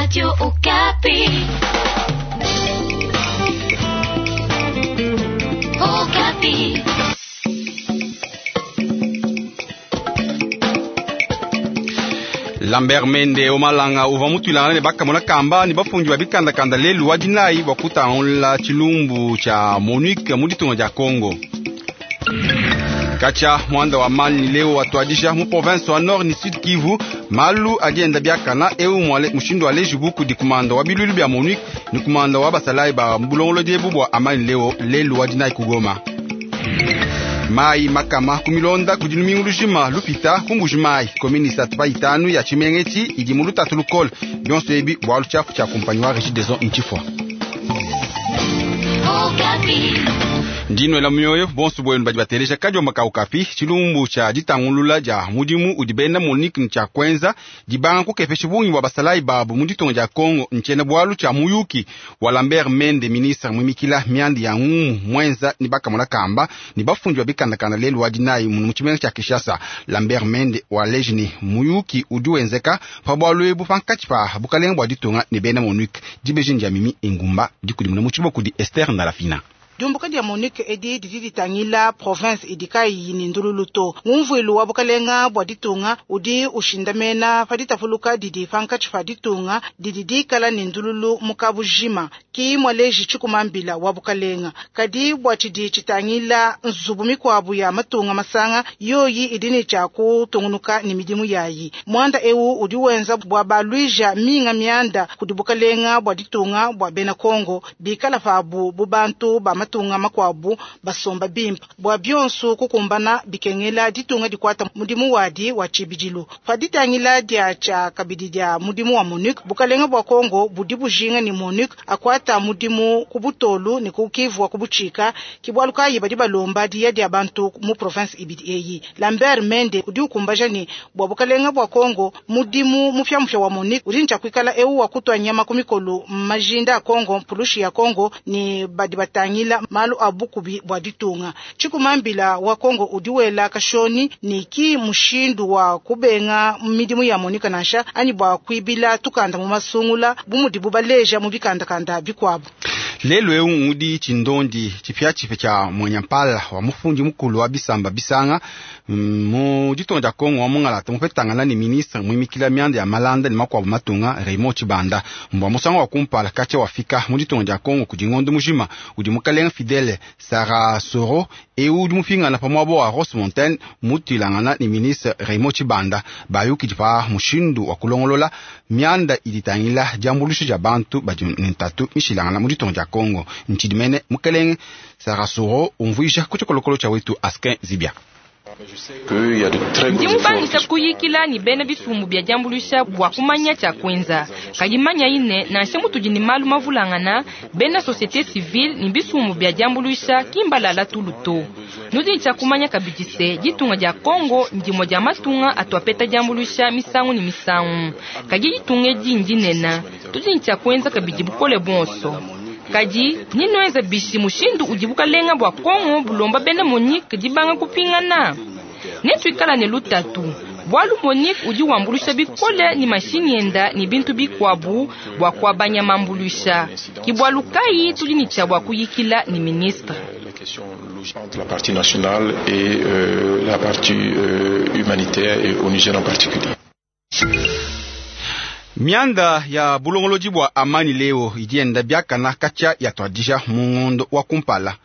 Radio Okapi. Okapi. Lambert Mende Omalanga uvua mutuilangana ne bakamona kamba ne bafundi ba bikandakanda lelu wa dinayi bua kutangula tshilumbu tshia MONUC mu ditunga dia Congo. Katshia muanda wa mani leo watuadija mu province wa Nord ni Sud Kivu malu adi enda biakana eu mushindu alejibu kudi kumanda wa bilulu bia MONUC ni kumanda wa basalayi ba bulongolodi ebu bua amani leo lelu wa dinayi kugoma. Mai makama kumilonda kudi lumingu lujima lupita kumbuji mai komini isatu pa itanu ya tshimenga idi mu lutatu lukole bionso ebi bualu tshiapu tshia kumpanyi wa Regideso ntshifua. Ndinwela mioyo bonso bwenu badi bateleja kadiomba ka Okapi tshilumbu tshia ditangulula dia mudimu udi bena MONUC ne tshia kuenza dibanga kukepesha bungi bua basalayi babu mu ditunga dia Congo ntshiena bualu tshia muyuki wa Lambert Mende ministre muimikila mianda ya ngumu mwenza ni bakamona kamba ni bafundi ba bikandakanda lelu wa dinayi mu tshimenga tshia Kinshasa. Lambert Mende waleji ne muyuki udi wenzeka pa bualu ebu pankatshi pa bukalenga bua ditunga ne bena MONUC. Dibeji ndia Mimi Ingumba dikudimuna mu tshibua kudi Esther Ndalafina. Diumbuka dia MONUC edi didi ditangila province idi kayiyi ne ndululu to. Ngumvuilu wa bukalenga bua ditunga udi ushindamena pa ditapuluka didi pankatshi pa ditunga didi dikala ne ndululu mu kabujima ki mualeji tshikumambila wa bukalenga. Kadi bua tshidi tshitangila nzubu mikuabu ya matunga masanga yoyi idi ne tshia kutungunuka ne midimu yayi. Muanda ewu udi wenza bua baluija minga mianda kudi bukalenga bua ditunga bua bena Kongo bikala pabu bu bantu ba matunga makuabu basomba bimpe bua bionso kukumbana bikengela ditunga dikuata mudimu wadi wa tshibidilu. Pa ditangila dia tshia kabidi dia mudimu wa MONUC, bukalenga bua Kongo budi bujinga ne MONUC akuata mudimu ku butolu ne ku Kivu wa kubutshika ki bualu kayi badi balomba diya dia bantu mu province ibidi eyi. Lambert Mende udi ukumbaja ne bua bukalenga bua Kongo mudimu mupiamupia wa MONUC udi ne tshia kuikala ewu wa kutua nyama ku mikolo majinda a Kongo mpulushi ya Kongo ne badi batangila malu a bukubi bua ditunga. Tshikumambila wa Kongo udi wela kashoni ni ki mushindu wa kubenga midimu ya MONUC nansha anyi bua kuibila tukanda mu masungula bu mudibu baleja mu bikandakanda bikuabu. Lelu eu udi tshindondi tshipiatshipia tshia mwenyampala wa mufundi mukulu wa bisamba bisanga mu ditunga dia Kongo wa mungalata mupetangana ne ministre muimikila mianda ya malanda ne makuabu matunga Raymond Tshibanda mbua musangu wa kumpala katshia wafika mu ditunga dia Kongo kudi ngondo mujima udi mukalenga Fidele Sarasoro eu udi mupingana pa muaba wa Rose Montaigne mutuilangana ne ministre Raymond Tshibanda bayukidi pa mushindu wa kulongolola mianda idi itangila diambuluisha dia bantu badi ne ntatu mishilangana mu ditunga dia Kongo. Ntshidimene mukelenge Sarasoro umvuija ku tshikolokolo tshia wetu Askin Zibia. Ndi mubangisha kuyikila ne bena bisumbu bia diambuluisha bua kumanya tshia kuenza. Kadi manya ine nansha mutudi ne malu mavulangana bena société civile ne bisumbu bia diambuluisha kimbalala tulu to. Nudi ne tshia kumanya kabidi se ditunga dia Kongo ndimue dia matunga atuapeta diambuluisha misangu ne misangu. Kadi ditunga edi ndinene, tudi ne tshia kuenza kabidi bukole buonso. Kadi ninuenza bishi mushindu udi bukalenga bua Kongo bulomba bena MONUC dibanga kupingana. Netuikala ne lutatu bualu MONUC udi wambuluisha bikole ne mashinyi enda ne bintu bikuabu bua kuabanya mambuluisha. Ki bualu kayi tudi ne tshia bua kuyikila ne ministre. La partie nationale et la partie humanitaire et onusienne en particulier. Mianda ya bulongolodi bua amani leo idi enda biakana katshia yatuadija mu ngondo wa kumpala.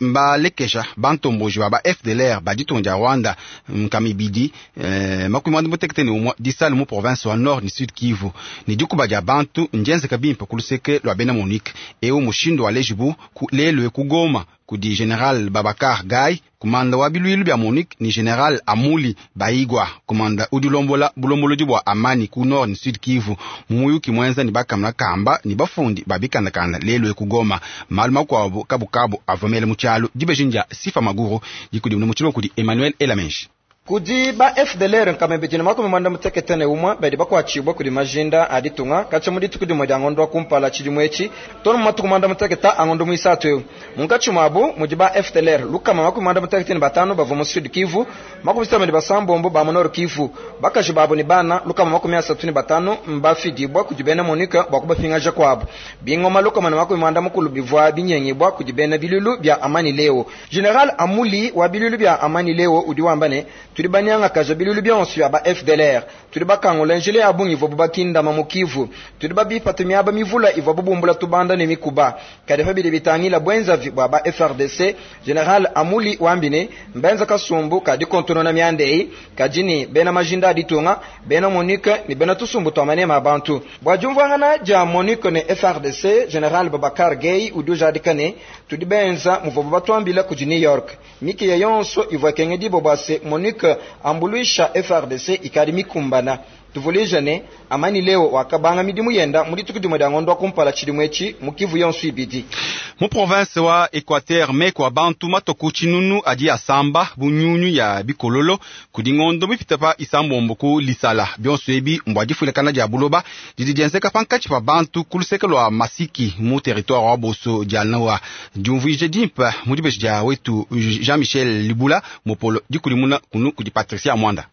Mbalekesha bantomboji ba ba FDLR ba ditunga dia Rwanda nkamibidi 61 disale mu province wa Nord ni Sud Kivu ne dikuba dia bantu ndienzeka bimpe ku luseke lua bena MONUC. Eu mushindu walejibu lelu ku Goma kudi General Babakar Gaye kumanda wa bilwilu bia MONUC ni General Amuli Baigwa kumanda udi lombola bulombolodi bua amani ku Nord ni Sud Kivu mumuyuki mwenza ni bakamuna kamba ni bafundi ba bikandakanda lelu ku Goma malu makuabu kabukabu avomele mu tshialu dibeji ndia Sifa Maguru dikudimuna mu tshilongo kudi Emmanuel Elamenshi. Kudi ba FDLR nkama ibidi ne makumi muanda mutekete ne umue badi bakuatshibue kudi majinda a ditunga katshia mu dituku dimue dia ngondo wa kumpala tshidimu etshi too ne mu matuku muanda mutekete a ngondo muisatu eu. Munkatshi muabu mudi ba FDLR 155 bavua mu Sud Kivu, 56 ba mu Nord Kivu. Bakaji babu ne bana 35 mbafidibua kudi bena MONUC bua kubapingaja kuabu. Bingoma 140 bivua binyengibua kudi bena biluilu bia Amani Leo. General Amuli wa biluilu bia Amani Leo udi wamba ne, tudi banyangakaja biluilu bionso bia ba FDLR, tudi bakangula njila ya bungi ivuabu bakindama mu Kivu, tudi babipata miaba mivula ivuabu bumbula tubanda ne mikuba. Kadi pa bidi bitangila buenzavi bua ba FRDC, General Amuli wambi ne, mbenza kasumbu ka dikontonona mianda eyi, kadi ne bena majinda a ditunga, bena MONUC ne bena tusumbu tua manema a bantu. Bua diumvuangana dia MONUC ne FRDC, General Babacar Gueye udi ujadika ne, tudi benza muvuabu batuambila kudi New York. Mikiya yonso ivua ikengedibua bua se MONUC ambuluisha FRDC ikadi mikumbana. Tuvuluija ne, Amani Leo wakabanga midimu yenda mu dituku dimue dia ngondo wa kumpala tshidimu etshi mu Kivu yonso ibidi. Mu province wa Equateur meku a bantu matoku tshinunu adi asamba bu nyunyu ya bikololo kudi ngondo mipite pa isambombo ku Lisala. Bionso ebi mbua difuilakana dia buloba didi dienzeka pankatshi pa bantu ku luseke lua Masiki mu territoire wa Boso dia Noa. Diumvuija dimpe mu dibeji dia wetu Jean-Michel Libula mopolo dikulimuna kunu kudi Patricia Mwanda.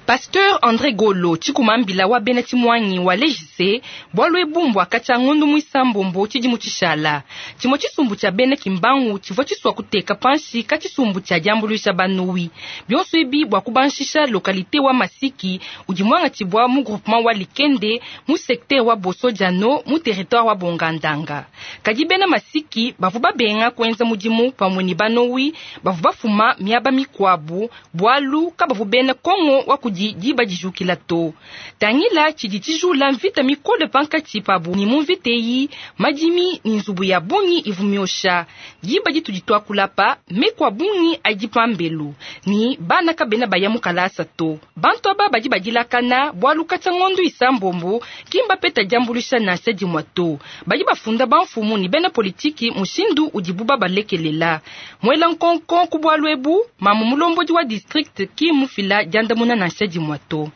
Pasteur André Golo tshikumambila wa bena tshimuangi wa lejise bualu ebu mbua katshia ngondo muisambombo tshidimu tshishala. Tshimue tshisumbu tshia bena Kimbangu tshivua tshisua kuteka panshi ka tshisumbu tshia diambuluisha banowi. Bionso ebi bua kubanshisha localité wa Masiki udi muangatshibua mu groupement wa Likende mu secteur wa Boso-Diano mu territoire wa Bongandanga. Kadi bena Masiki bavua babenga kuenza mudimu pamue ne banowi bavua bafuma miaba mikuabu bualu kabavu bena Kongo wa kudi diba dijukila to. Tangila tshidi tshijula mvita mikole pankatshi pabu ni mu mvita eyi madimi ni nzubu ya bungi ivu miosha. Diba ditudi tuakulapa meku a bungi adi pambelu ni bana kabena baya mu kalasa to. Bantu aba badi badilakana bualu katshia ngondo isambombo kimba peta diambuluisha nansha dimue to. Badi bafunda bamfumu ni bena politiki mushindu udibu babalekelela. Muela nkonko ku bualu ebu mamu mulombodi wa district ki mufila diandamuna nansha dimue to.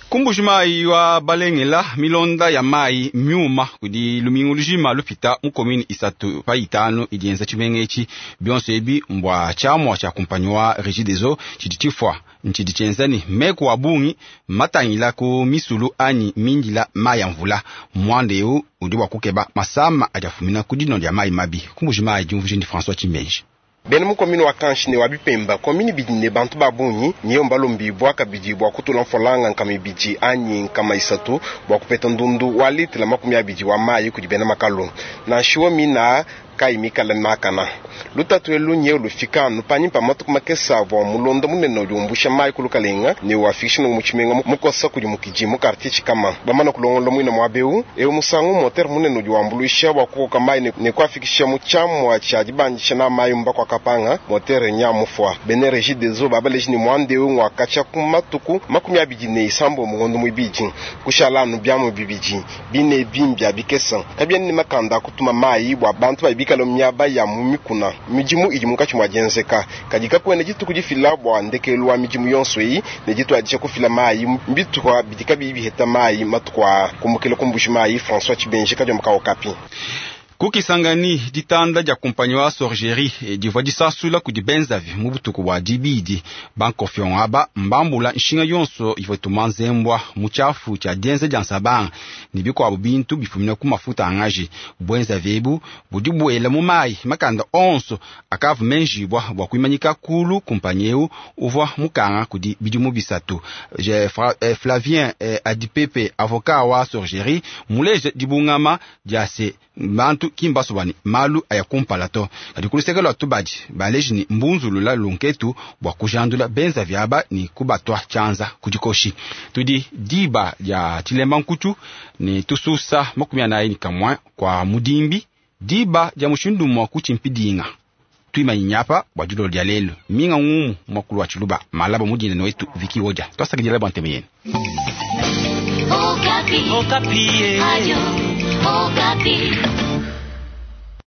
Kumbuji mayi wa balengela milonda ya mayi myuma kudi lumingu lujima lupita mu commune isatu pa itanu idi yenza tshimenga etshi. Bionso ebi mbua tshiamua tshia kumpanyi wa Regideso tshidi tshifua ntshidi tshienza ne meku a bungi matangila ku misulu anyi mindila mayi a mvula. Muanda eu udi bua kukeba masama adi afumina ku dinua dia mayi mabi. Kumbuji mayi diumvuija ndi François Tshimenji. Bena mu commune wa Kanshi ne wa Bipemba, commune ibidi ne bantu ba bungi niyo mbalombibua kabidi bua kutula mfolanga nkama ibidi anyi nkama isatu bua kupeta ndundu wa litela 20 wa mayi kudi bena makalu. Nanshiwa mina kayi mikala makana. Lutatu elu nye lufika anu panyima pa matuku makese avua mulonda munene udi umbusha mayi ku lukalenga ne wafikisha mu tshimenga mukosa kudi mukidi mu quartier Tshikama. Bamana kulongola muina muaba eu, eu musangu moteur munene udi wambuluisha bua kukoka mayi ne kuafikisha mu tshiamua tshia dibandisha na mayi mba kwa kapanga moteur nya mufua. Bene Regideso babaleji ne muanda eu ngwakatshia ku matuku 26 mu ngondo muibidi. Kushala anu biamu bibidi bine bimbia bikesa kabiena ne makanda kutuma mayi bua bantu babikala miaba ya mu mikuna. Midimu idi munkatshi mua dienzeka kadi kakuena dituku difila bua ndekelu wa midimu yonso eyi ne dituadija kufila mayi mbitupa bidi kabiyi biheta mayi matuku aa. Kumukila kumbushi mayi François Tshibenji kadiomba ka Okapi. Kukisangani ditanda dia kumpanyi wa Sorgerie divua disasula kudi benzavi mu butuku bua dibidi. Bankofion aba mbambula nshinga yonso ivua ituma nzembwa mu tshiafu tshia dienza dia nsabanga ne bikuabu bintu bifumina ku mafuta a ngaji. Buenzavi ebu budi buela mu mayi makanda onso akavua menjibua bua kuimanyika kulu kumpanyi eu uvua mukanga kudi bidimu bisatu. Flavien Adipepe avocat wa Sorgerie muleje dibungama dia se bantu kimbaso bani malu aya kumpala to. Kadi kuluseke lua tubadi baleji ni mbunzulula lunketu bua kujandula benza vyaba ni kubatwa chanza kudikoshi. Tudi diba dia chilemba nkutu ni tususa 41 kwa mudimbi diba dia mushindu mwa kuchimpidinga. Tuimanyinyapa bua dilolo dia lelo minga ngumu mwakulu wa chiluba malaba mudine noetu Viki Oja. Twasakidila bua nteme yenu. Okapi. Okapi. Ayo, Okapi.